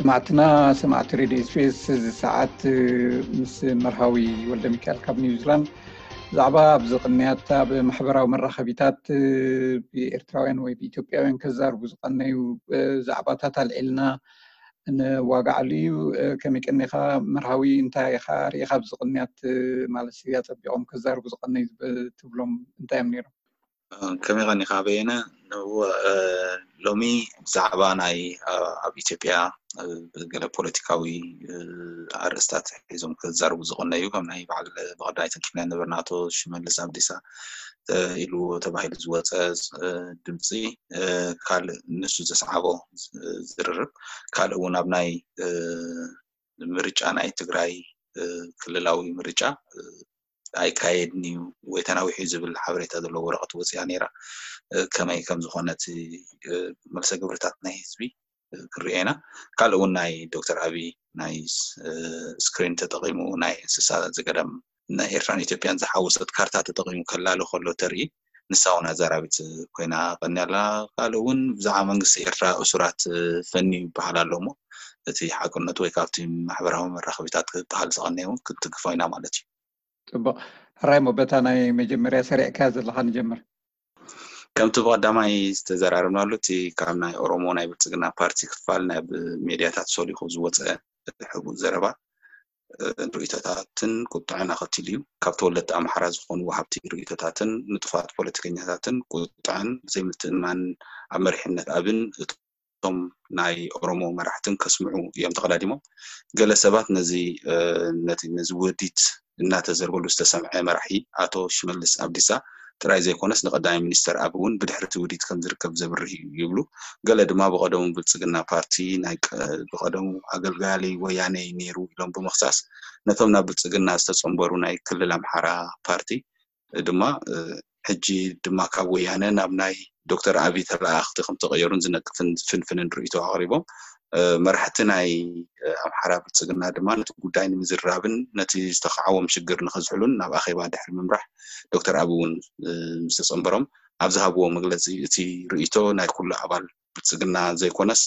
ሰማዕትና፣ ሰማዕቲ ሬድዮ ኤስቢኤስ፣ እዚ ሰዓት ምስ መርሃዊ ወልደ ሚካኤል ካብ ኒውዚላንድ ብዛዕባ ኣብዚ ቅንያት ኣብ ማሕበራዊ መራኸቢታት ብኤርትራውያን ወይ ብኢትዮጵያውያን ከዛርቡ ዝቐነዩ ዛዕባታት ኣልዒልና ንዋጋዓሉ እዩ። ከመይ ቀኒኻ መርሃዊ? እንታይ ኢኻ ርኢኻ ኣብዚ ቅንያት ማለት ኣጸቢቖም ከዛርቡ ዝቐነዩ ትብሎም እንታይ እዮም ነይሮም? ከመይ ቀኒኻ በየነ? ሎሚ ብዛዕባ ናይ ኣብ ኢትዮጵያ ገለ ፖለቲካዊ ኣርእስታት ሒዞም ክዛርቡ ዝቐነዩ ከም ናይ በዓል ብቐዳይ ተንኪፍና ነበርና ኣቶ ሽመልስ ኣብዲሳ ኢሉ ተባሂሉ ዝወፀ ድምፂ ካልእ ንሱ ዘስዓቦ ዝርርብ ካልእ እውን ኣብ ናይ ምርጫ ናይ ትግራይ ክልላዊ ምርጫ ኣይካየድን እዩ ወይ ተናዊሑ ዝብል ሓበሬታ ዘለዎ ወረቐት ወፂኣ ነይራ። ከመይ ከም ዝኾነ እቲ መልሰ ግብርታት ናይ ህዝቢ ክንሪኦ ኢና። ካልእ እውን ናይ ዶክተር ኣብይ ናይ ስክሪን ተጠቒሙ ናይ እንስሳ ዘገዳም ናይ ኤርትራን ኢትዮጵያን ዝሓወሰት ካርታ ተጠቒሙ ከላሊ ከሎ ተርኢ ንሳ እውን ኣዛራቢት ኮይና ቀኒያ ኣላ። ካልእ እውን ብዛዕባ መንግስቲ ኤርትራ እሱራት ፈንዩ ይበሃል ኣሎ እሞ እቲ ሓቅነቱ ወይ ካብቲ ማሕበራዊ መራኸቢታት ክበሃል ዝቐነየ እውን ክትትግፎ ኢና ማለት እዩ። ፅቡቕ። ሕራይ እሞ በታ ናይ መጀመርያ ሰሪዕካያ ዘለኻ ንጀምር። ከምቲ ብቐዳማይ ዝተዘራረብናሉ እቲ ካብ ናይ ኦሮሞ ናይ ብልፅግና ፓርቲ ክፋል ናይ ሜድያታት ሰሊኹ ዝወፀ ሕቡእ ዘረባ ርእይቶታትን ቁጥዐን ኣኸቲሉ እዩ። ካብ ተወለድቲ ኣምሓራ ዝኾኑ ወሃብቲ ርእይቶታትን ንጡፋት ፖለቲከኛታትን ቁጥዐን ዘይምትእምማን ኣብ መሪሕነት ኣብን እቶም ናይ ኦሮሞ መራሕትን ከስምዑ እዮም ተቐዳዲሞም። ገለ ሰባት ነዚ ነዚ ነዚ ውዲት እናተዘርበሉ ዝተሰምዐ መራሒ ኣቶ ሽመልስ ኣብዲሳ ጥራይ ዘይኮነስ ንቀዳማይ ሚኒስተር ኣብ እውን ብድሕሪ እቲ ውዲት ከም ዝርከብ ዘብርህ እዩ ይብሉ። ገለ ድማ ብቐደሙ ብልፅግና ፓርቲ ናይ ብቐደሙ ኣገልጋሊ ወያነ ነይሩ ኢሎም ብምኽሳስ ነቶም ናብ ብልፅግና ዝተፀንበሩ ናይ ክልል ኣምሓራ ፓርቲ ድማ ሕጂ ድማ ካብ ወያነ ናብ ናይ ዶክተር ኣብይ ተለኣኣኽቲ ከም ተቐየሩን ዝነቅፍን ዝፍንፍንን ርእይቶ ኣቕሪቦም። መራሕቲ ናይ ኣምሓራ ብልፅግና ድማ ነቲ ጉዳይ ንምዝራብን ነቲ ዝተኻዕዎም ሽግር ንኸዝሕሉን ናብ ኣኼባ ድሕሪ ምምራሕ ዶክተር ኣብይ እውን ምስ ተፀንበሮም ኣብ ዝሃብዎ መግለፂ እቲ ርእይቶ ናይ ኩሉ ኣባል ብልፅግና ዘይኮነስ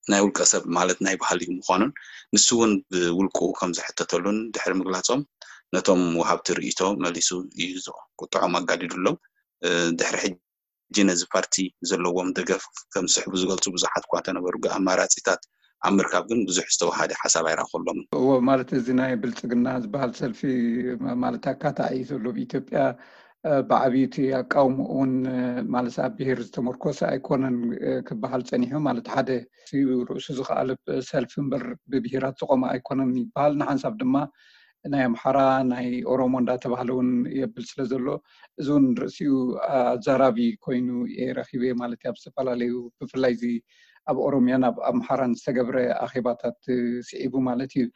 ናይ ውልቀ ሰብ ማለት ናይ ባህሊ ምዃኑን ንሱ እውን ብውልቁ ከም ዝሕተተሉን ድሕሪ ምግላፆም ነቶም ወሃብቲ ርእይቶ መሊሱ እዩ ቁጥዖም ኣጋዲዱሎም። ድሕሪ ሕጂ ነዚ ፓርቲ ዘለዎም ደገፍ ከም ዝስሕቡ ዝገልፁ ብዙሓት እኳ እንተነበሩ ኣማራፂታት ኣብ ምርካብ ግን ብዙሕ ዝተወሃደ ሓሳብ ኣይረኣኹሎምን። እዎ፣ ማለት እዚ ናይ ብልፅግና ዝበሃል ሰልፊ ማለት ኣካታዒ ዘሎ ብኢትዮጵያ ብዓብዩ እቲ ኣቃውምኡ እውን ማለት ኣብ ብሄር ዝተመርኮሰ ኣይኮነን ክበሃል ፀኒሑ። ማለት ሓደ ርእሱ ዝኸኣለ ሰልፊ እምበር ብብሄራት ዝቆመ ኣይኮነን ይበሃል። ንሓንሳብ ድማ ናይ ኣምሓራ ናይ ኦሮሞ እንዳተባህለ እውን የብል ስለ ዘሎ እዚ እውን ርእሲኡ ኣዛራቢ ኮይኑ እየ ረኺበ ማለት እዩ። ኣብ ዝተፈላለዩ ብፍላይ እዚ ኣብ ኦሮሚያን ኣብ ኣምሓራን ዝተገብረ ኣኼባታት ስዒቡ ማለት እዩ።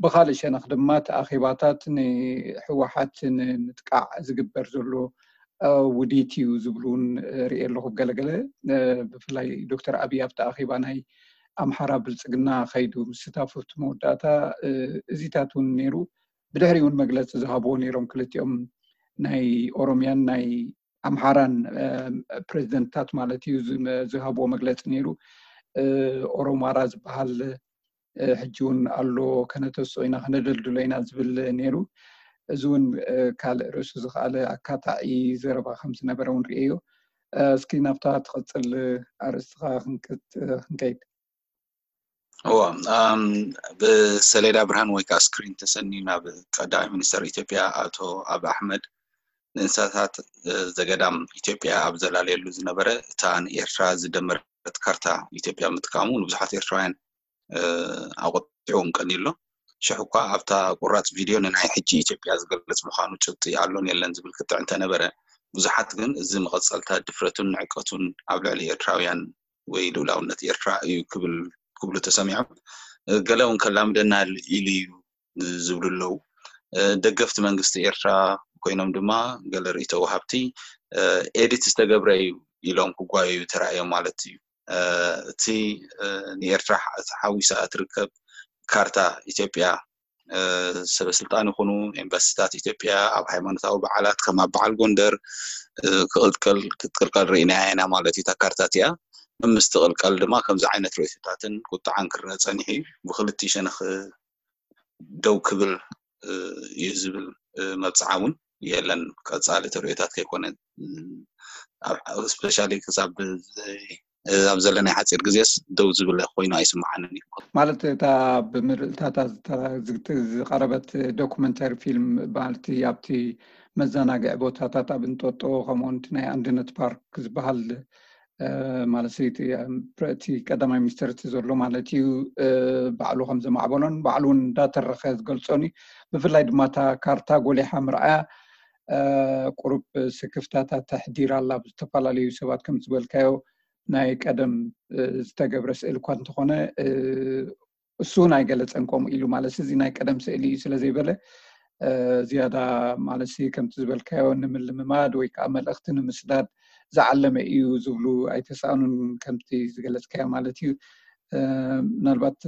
ብኻልእ ሸነኽ ድማ እቲ ኣኼባታት ንህወሓት ንምጥቃዕ ዝግበር ዘሎ ውዲት እዩ ዝብሉ እውን ርኢ ኣለኹ። ገለገለ ብፍላይ ዶክተር ኣብይ ኣብቲ ኣኼባ ናይ ኣምሓራ ብልፅግና ከይዱ ምስታፉ ኣብቲ መወዳእታ እዚታት እውን ነይሩ። ብድሕሪ እውን መግለፂ ዝሃብዎ ነይሮም ክልቲኦም ናይ ኦሮሚያን ናይ ኣምሓራን ፕሬዚደንትታት ማለት እዩ ዝሃብዎ መግለፂ ነይሩ። ኦሮማራ ዝበሃል ሕጂ እውን ኣሎ፣ ከነተስኦ ኢና፣ ከነደልድሎ ኢና ዝብል ነይሩ። እዚ እውን ካልእ ርእሱ ዝኸኣለ ኣካታዒ ዘረባ ከም ዝነበረ እውን ርእየዮ። እስኪ ናብታ ትቐፅል ኣርእስትኻ ክንከይድ። እዎ፣ ብሰሌዳ ብርሃን ወይ ከዓ ስክሪን ተሰንዩ ናብ ቀዳማይ ሚኒስተር ኢትዮጵያ ኣቶ ኣብ ኣሕመድ ንእንስሳታት ዘገዳም ኢትዮጵያ ኣብ ዘላለየሉ ዝነበረ እታ ንኤርትራ ዝደመረት ካርታ ኢትዮጵያ ምጥቃሙ ንብዙሓት ኤርትራውያን ኣቆጢዕዎም ቀኒሉ ኣሎ። ሽሕ እኳ ኣብታ ቁራፅ ቪድዮ ንናይ ሕጂ ኢትዮጵያ ዝገልፅ ምዃኑ ጭብጢ ኣሎን የለን ዝብል ክትዕ እንተነበረ ብዙሓት ግን እዚ መቐፀልታ ድፍረቱን ንዕቀቱን ኣብ ልዕሊ ኤርትራውያን ወይ ልኡላውነት ኤርትራ እዩ ክብል ክብሉ ተሰሚዖም። ገለ እውን ከላምደና ኢሉ እዩ ዝብሉ ኣለዉ። ደገፍቲ መንግስቲ ኤርትራ ኮይኖም ድማ ገለ ርእይቶ ወሃብቲ ኤዲት ዝተገብረ እዩ ኢሎም ክጓየዩ ተራእዮም ማለት እዩ። እቲ ንኤርትራ ተሓዊሳ እትርከብ ካርታ ኢትዮጵያ ሰበ ስልጣን ይኹኑ ኤምባሲታት ኢትዮጵያ ኣብ ሃይማኖታዊ በዓላት ከም ኣብ በዓል ጎንደር ክትቅልቀል ርኢናያ ኢና ማለት እዩ። እታ ካርታ እቲኣ ምስትቕልቀል ድማ ከምዚ ዓይነት ርእይቶታትን ቁጥዓን ክረአ ጸኒሑ እዩ። ብክልቲኡ ሸነኽ ደው ክብል እዩ ዝብል መብጽዓ እውን የለን። ቀጻሊ ተርእዮታት ከይኮነ፣ ስፔሻሊ ክሳብ ኣብ ዘለናይ ሓፂር ግዜስ ደው ዝብል ኮይኑ ኣይስምዓንን እዩ። ማለት እታ ብምርኢታታ ዝቀረበት ዶኩመንተሪ ፊልም፣ ማለት ኣብቲ መዘናግዒ ቦታታት ኣብ እንጦጦ፣ ከምኡውን እቲ ናይ ኣንድነት ፓርክ ዝበሃል ማለት እቲ ቀዳማይ ሚኒስትር እቲ ዘሎ ማለት እዩ፣ ባዕሉ ከም ዘማዕበሎን ባዕሉ እውን እንዳተረኸ ዝገልጾን እዩ። ብፍላይ ድማ እታ ካርታ ጎሊሓ ምርኣያ ቁሩብ ስክፍታታት ተሕዲር ኣላ። ብዝተፈላለዩ ሰባት ከም ዝበልካዮ ናይ ቀደም ዝተገብረ ስእል እኳ እንተኾነ፣ እሱ እውን ኣይገለጸን ከምኡ ኢሉ። ማለት እዚ ናይ ቀደም ስእሊ እዩ ስለ ዘይበለ፣ ዝያዳ ማለት ከምቲ ዝበልካዮ ንምልምማድ ወይ ከዓ መልእኽቲ ንምስዳድ ዝዓለመ እዩ ዝብሉ ኣይተሳእኑን፣ ከምቲ ዝገለጽካዮ ማለት እዩ። ምናልባት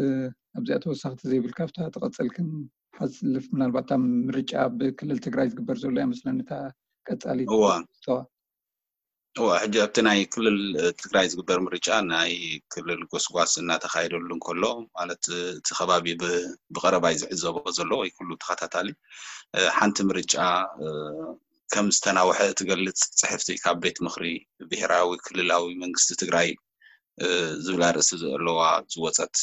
ኣብዚኣ ተወሳኽቲ ዘይብልካ ኣብታ ትቐጽል ክንሓልፍ፣ ምናልባት ኣብ ምርጫ ብክልል ትግራይ ዝግበር ዘሎ እያ መስለኒ እታ ቀጻሊት እዋ ተዋ። እዋ ሕጂ ኣብቲ ናይ ክልል ትግራይ ዝግበር ምርጫ ናይ ክልል ጎስጓስ እናተኻየደሉ እንከሎ፣ ማለት እቲ ከባቢ ብቐረባ እዩ ዝዕዘቦ ዘሎ ወይ ኩሉ ተኸታታሊ፣ ሓንቲ ምርጫ ከም ዝተናውሐ እትገልጽ ጽሕፍቲ ካብ ቤት ምኽሪ ብሄራዊ ክልላዊ መንግስቲ ትግራይ ዝብል ኣርእስቲ ዘለዋ ዝወፀት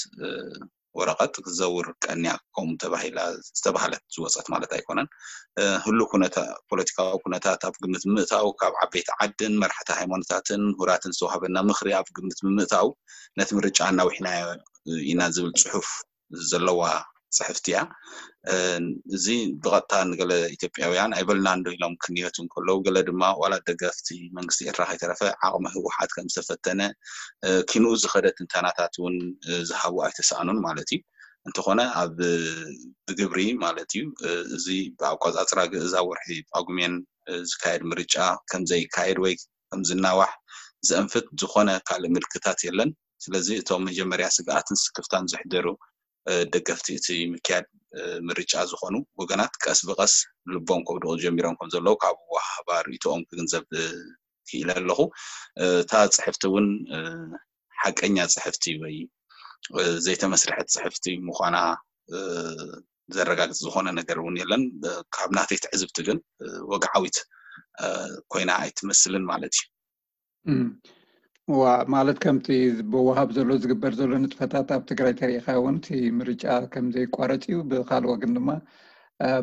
ወረቐት ክትዘውር ቀንያ ከምኡ ተባሂላ ዝተባህለት ዝወፀት ማለት ኣይኮነን። ህሉ ኩነታ ፖለቲካዊ ኩነታት ኣብ ግምት ምእታው፣ ካብ ዓበይቲ ዓድን መራሕቲ ሃይማኖታትን ምሁራትን ዝተዋህበና ምኽሪ ኣብ ግምት ብምእታው ነቲ ምርጫ ኣናዊሕናዮ ኢና ዝብል ፅሑፍ ዘለዋ ፅሕፍቲ እያ። እዚ ብቐጥታ ንገለ ኢትዮጵያውያን ኣይበልናን ዶ ኢሎም ክንየቱ እንከለዉ፣ ገለ ድማ ዋላ ደገፍቲ መንግስቲ ኤርትራ ከይተረፈ ዓቕሚ ህወሓት ከም ዝተፈተነ ኪንኡ ዝኸደ ትንተናታት እውን ዝሃቡ ኣይተሰኣኑን ማለት እዩ። እንተኾነ ኣብ ብግብሪ ማለት እዩ፣ እዚ ብኣቆፃፅራ ግእዝ ኣብ ወርሒ ጳጉሜን ዝካየድ ምርጫ ከም ዘይካየድ ወይ ከም ዝናዋሕ ዘእንፍት ዝኾነ ካልእ ምልክታት የለን። ስለዚ እቶም መጀመርያ ስግኣትን ስክፍታን ዘሕደሩ ደገፍቲ እቲ ምክያድ ምርጫ ዝኾኑ ወገናት ቀስ ብቐስ ልቦም ከውድቑ ጀሚሮም ከም ዘለዉ ካብ ኣወሃህባ ርእይቶኦም ክግንዘብ ክኢለ ኣለኹ። እታ ፅሕፍቲ እውን ሓቀኛ ፅሕፍቲ ወይ ዘይተመስርሐት ፅሕፍቲ ምዃና ዘረጋግፅ ዝኾነ ነገር እውን የለን። ካብ ናተይ ትዕዝብቲ ግን ወግዓዊት ኮይና ኣይትመስልን ማለት እዩ። እዋ፣ ማለት ከምቲ ብወሃብ ዘሎ ዝግበር ዘሎ ንጥፈታት ኣብ ትግራይ ተሪኢኻ እውን እቲ ምርጫ ከም ዘይቋረፅ እዩ። ብካልእ ወገን ድማ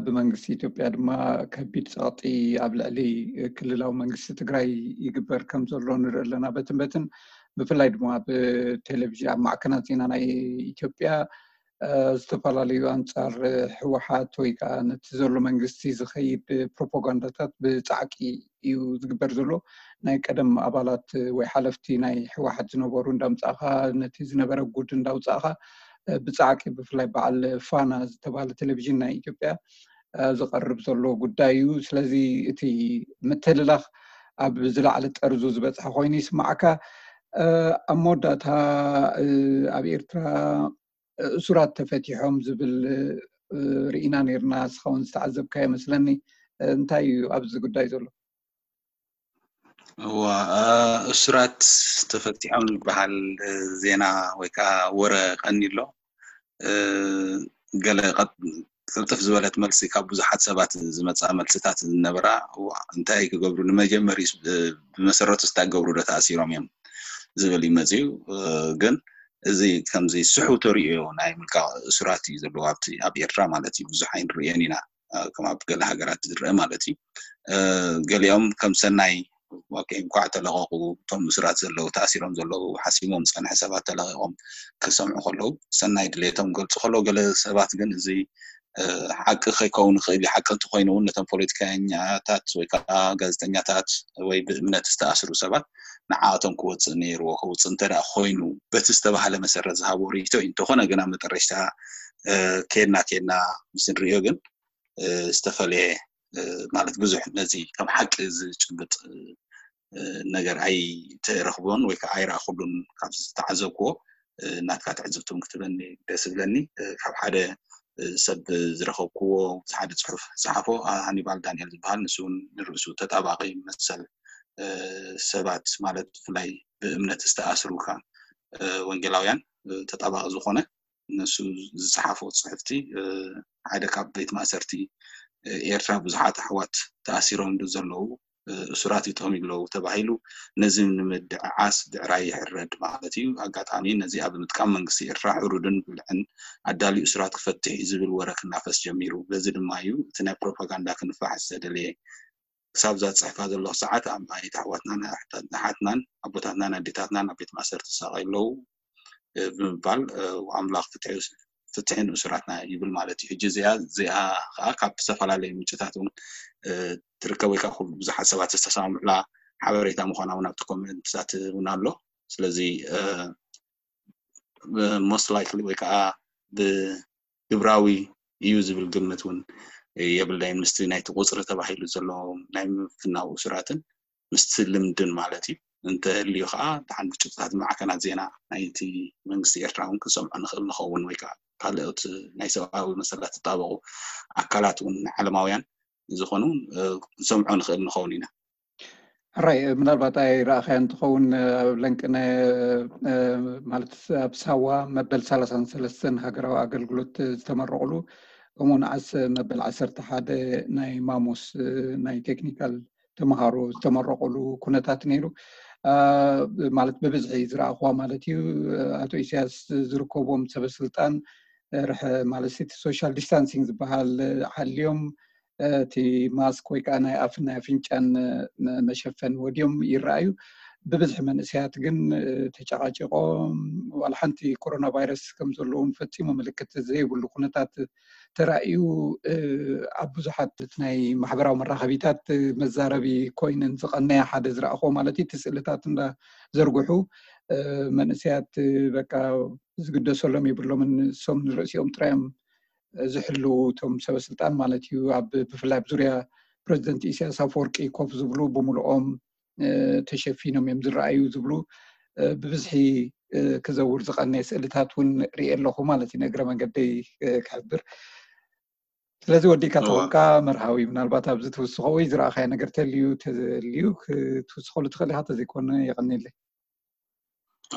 ብመንግስቲ ኢትዮጵያ ድማ ከቢድ ፀቕጢ ኣብ ልዕሊ ክልላዊ መንግስቲ ትግራይ ይግበር ከም ዘሎ ንርኢ ኣለና። በትን በትን ብፍላይ ድማ ኣብ ቴሌቪዥን ኣብ ማዕከናት ዜና ናይ ኢትዮጵያ ዝተፈላለዩ ኣንፃር ህወሓት ወይ ከዓ ነቲ ዘሎ መንግስቲ ዝኸይድ ፕሮፓጋንዳታት ብፃዕቂ እዩ ዝግበር ዘሎ። ናይ ቀደም ኣባላት ወይ ሓለፍቲ ናይ ህወሓት ዝነበሩ እንዳምፃእኻ፣ ነቲ ዝነበረ ጉድ እንዳውፃእኻ ብፃዕቂ ብፍላይ በዓል ፋና ዝተባሃለ ቴሌቪዥን ናይ ኢትዮጵያ ዝቐርብ ዘሎ ጉዳይ እዩ። ስለዚ እቲ ምትልላኽ ኣብ ዝለዓለ ጠርዙ ዝበፅሐ ኮይኑ ይስማዓካ። ኣብ መወዳእታ ኣብ ኤርትራ እሱራት ተፈቲሖም ዝብል ርኢና ነርና። ንስኻ እውን ዝተዓዘብካዮ መስለኒ። እንታይ እዩ ኣብዚ ጉዳይ ዘሎ? እዋ፣ እሱራት ተፈቲሖም ዝበሃል ዜና ወይ ከዓ ወረ ቀኒ ኣሎ። ገለ ቅልጥፍ ዝበለት መልሲ ካብ ብዙሓት ሰባት ዝመፃ መልስታት ዝነበራ፣ እንታይ ክገብሩ ንመጀመሪ ብመሰረቱ እንታይ ክገብሩ ዶ ተኣሲሮም እዮም ዝብል እዩ መፅዩ። ግን እዚ ከምዚ ስሑ ተሪኦ ናይ ምልቃቕ እሱራት እዩ ዘለዎ ኣብቲ ኣብ ኤርትራ ማለት እዩ። ብዙሕ ኣይንርእዮን ኢና ከም ኣብ ገለ ሃገራት ዝረአ ማለት እዩ። ገሊኦም ከም ሰናይ እንኳዕ ተለቐቑ፣ እቶም እሱራት ዘለዉ ተኣሲሮም ዘለዉ ሓሲሞም ዝፀንሐ ሰባት ተለቒቖም ክሰምዑ ከለዉ ሰናይ ድሌቶም ገልፁ ከለዉ፣ ገለ ሰባት ግን እዚ ሓቂ ከይከውን ይኽእል እዩ። ሓቂ እንተኮይኑ እውን ነቶም ፖለቲከኛታት ወይ ከዓ ጋዜጠኛታት ወይ ብእምነት ዝተኣስሩ ሰባት ንዓኣቶም ክወፅእ ነይርዎ። ከውፅእ እንተደኣ ኮይኑ በቲ ዝተባህለ መሰረት ዝሃብዎ ርእይቶ እዩ። እንተኾነ ግን ኣብ መጠረሽታ ከድና ከድና ምስ ንርእዮ ግን ዝተፈለየ ማለት ብዙሕ ነዚ ከም ሓቂ ዝጭብጥ ነገር ኣይተረኽቦን ወይ ከዓ ኣይረኣኹሉን። ካብ ዝተዓዘብክዎ ናትካ ትዕዝብቲ እውን ክትበኒ ደስ ዝብለኒ። ካብ ሓደ ሰብ ዝረኸብክዎ ሓደ ፅሑፍ ዝፀሓፎ ሃኒባል ዳንኤል ዝበሃል፣ ንሱ እውን ንርእሱ ተጣባቂ መሰል ሰባት ማለት ብፍላይ ብእምነት ዝተኣስሩ ወንጌላውያን ተጣባቂ ዝኾነ ንሱ ዝፀሓፎ ፅሕፍቲ ሓደ ካብ ቤት ማእሰርቲ ኤርትራ ብዙሓት ኣሕዋት ተኣሲሮም ዘለዉ እሱራት ይጥቕሙ ኣለዉ ተባሂሉ ነዚ ንምድዕዓስ ድዕራይ ይሕረድ ማለት እዩ። ኣጋጣሚ ነዚኣ ብምጥቃም መንግስቲ ኤርትራ ሕሩድን ብልዕን ኣዳልዩ እሱራት ክፈትሕ እዩ ዝብል ወረ ክናፈስ ጀሚሩ። በዚ ድማ እዩ እቲ ናይ ፕሮፓጋንዳ ክንፋሕ ዝተደለየ። ክሳብ እዛ ዝፅሕፋ ዘለኹ ሰዓት ኣማኢት ኣሕዋትናን ኣሓትናን ኣቦታትናን ኣዴታትናን ኣብ ቤት ማእሰርቲ ዝሳቐዩ ኣለዉ ብምባል ኣምላኽ ፍትሒ ንእሱራትና ይብል ማለት እዩ። ሕጂ እዚኣ እዚኣ ከዓ ካብ ዝተፈላለዩ ምንጭታት እውን ትርከብ ወይ ከዓ ብዙሓት ሰባት ዝተሰማምዑላ ሓበሬታ ምዃና እውን ኣብቲ ኮመንትታት እውን ኣሎ። ስለዚ most likely ወይ ከዓ ብግብራዊ እዩ ዝብል ግምት እውን የብለይን። ምስቲ ናይቲ ቁፅሪ ተባሂሉ ዘሎ ናይ ምፍናው እሱራትን ምስቲ ልምድን ማለት እዩ። እንተህልዩ ከዓ ደሓን ብጭብጥታት ማዕከናት ዜና ናይቲ መንግስቲ ኤርትራ እውን ክንሰምዖ ንኽእል ንኸውን ወይ ከዓ ካልኦት ናይ ሰብኣዊ መሰላት ዝጣበቑ ኣካላት እውን ዓለማውያን ዝኾኑ ክንሰምዖ ንኽእል ንኸውን ኢና። ሕራይ ምናልባት ኣይረኣኸያ እንትኸውን ኣብ ለንቅነ ማለት ኣብ ሳዋ መበል ሰላሳን ሰለስተን ሃገራዊ ኣገልግሎት ዝተመረቑሉ ከምኡ ንዓስ መበል ዓሰርተ ሓደ ናይ ማሞስ ናይ ቴክኒካል ተምሃሮ ዝተመረቑሉ ኩነታት ነይሩ። ማለት ብብዝሒ ዝረኣኽዋ ማለት እዩ። ኣቶ ኢሳያስ ዝርከቦም ሰበስልጣን ርሕ ማለት እቲ ሶሻል ዲስታንሲንግ ዝበሃል ሓልዮም እቲ ማስክ ወይ ከዓ ናይ ኣፍን ናይ ኣፍንጫን መሸፈን ወድዮም ይረኣዩ። ብብዝሒ መንእሰያት ግን ተጨቃጭቆም ዋላ ሓንቲ ኮሮና ቫይረስ ከም ዘለዎም ፈፂሙ ምልክት ዘይብሉ ኩነታት ተራእዩ ኣብ ብዙሓት ናይ ማሕበራዊ መራኸቢታት መዛረቢ ኮይነን ዝቐነያ ሓደ ዝረኣኹ ማለት እዩ። እቲ ስእልታት እንዳዘርግሑ መንእሰያት በቃ ዝግደሰሎም የብሎምን። እሶም ንርእሲኦም ጥራዮም ዝሕልው እቶም ሰበስልጣን ማለት እዩ። ኣብ ብፍላይ ኣብ ዙርያ ፕረዚደንት ኢሳያስ ኣፈወርቂ ኮፍ ዝብሉ ብምልኦም ተሸፊኖም እዮም ዝረኣዩ ዝብሉ ብብዝሒ ክዘውር ዝቐነየ ስእልታት እውን ርኢ ኣለኹ ማለት እዩ ንእግረ መንገደይ ክሕብር። ስለዚ ወዲእካ ተኾንካ መርሃዊ ምናልባት ኣብዚ ትውስኾ ወይ ዝረኣኻዮ ነገር ተልዩ ተልዩ ክትውስኸሉ ትኽእል ኢኻ ተዘይኮነ የቐኒለይ።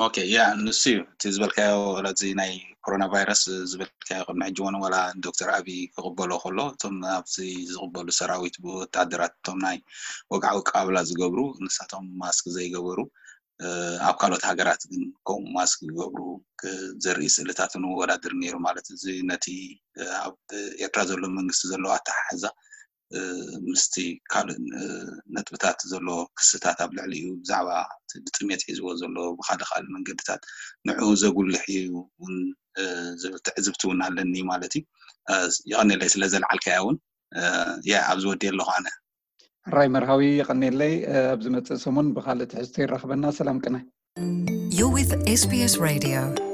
ኦኬ ያ ንሱ እዩ እቲ ዝበልካዮ ረዚ ናይ ኮሮና ቫይረስ ዝበልካዮ ቅድሚ ሕጂ እውን ዋላ ዶክተር ኣብይ ክቕበሎ ከሎ እቶም ኣብዚ ዝቕበሉ ሰራዊት ብወታደራት እቶም ናይ ወግዓዊ ኣቀባብላ ዝገብሩ ንሳቶም ማስክ ዘይገበሩ ኣብ ካልኦት ሃገራት ግን ከምኡ ማስክ ዝገብሩ ዘርኢ ስእልታት ንወዳድር ነይሩ ማለት እዚ ነቲ ኣብ ኤርትራ ዘሎ መንግስቲ ዘለዎ ኣተሓሕዛ ምስቲ ካልእ ነጥብታት ዘሎ ክስታት ኣብ ልዕሊኡ ብዛዕባ ብጥሜት ሒዝዎ ዘሎ ብካልእ ካልእ መንገድታት ንዕኡ ዘጉልሕ እዩ እውን ዝብል ትዕዝብቲ እውን ኣለኒ ማለት እዩ። ይቐኒለይ ስለ ዘልዓልካያ እውን ያ ኣብዚ ወዲ ኣለኹ ኣነ። ሕራይ መርሃዊ ይቐኒለይ። ኣብ ዝመፅእ ሰሙን ብካልእ ትሕዝቶ ይራኽበና። ሰላም ቅነ። You're with S B S Radio.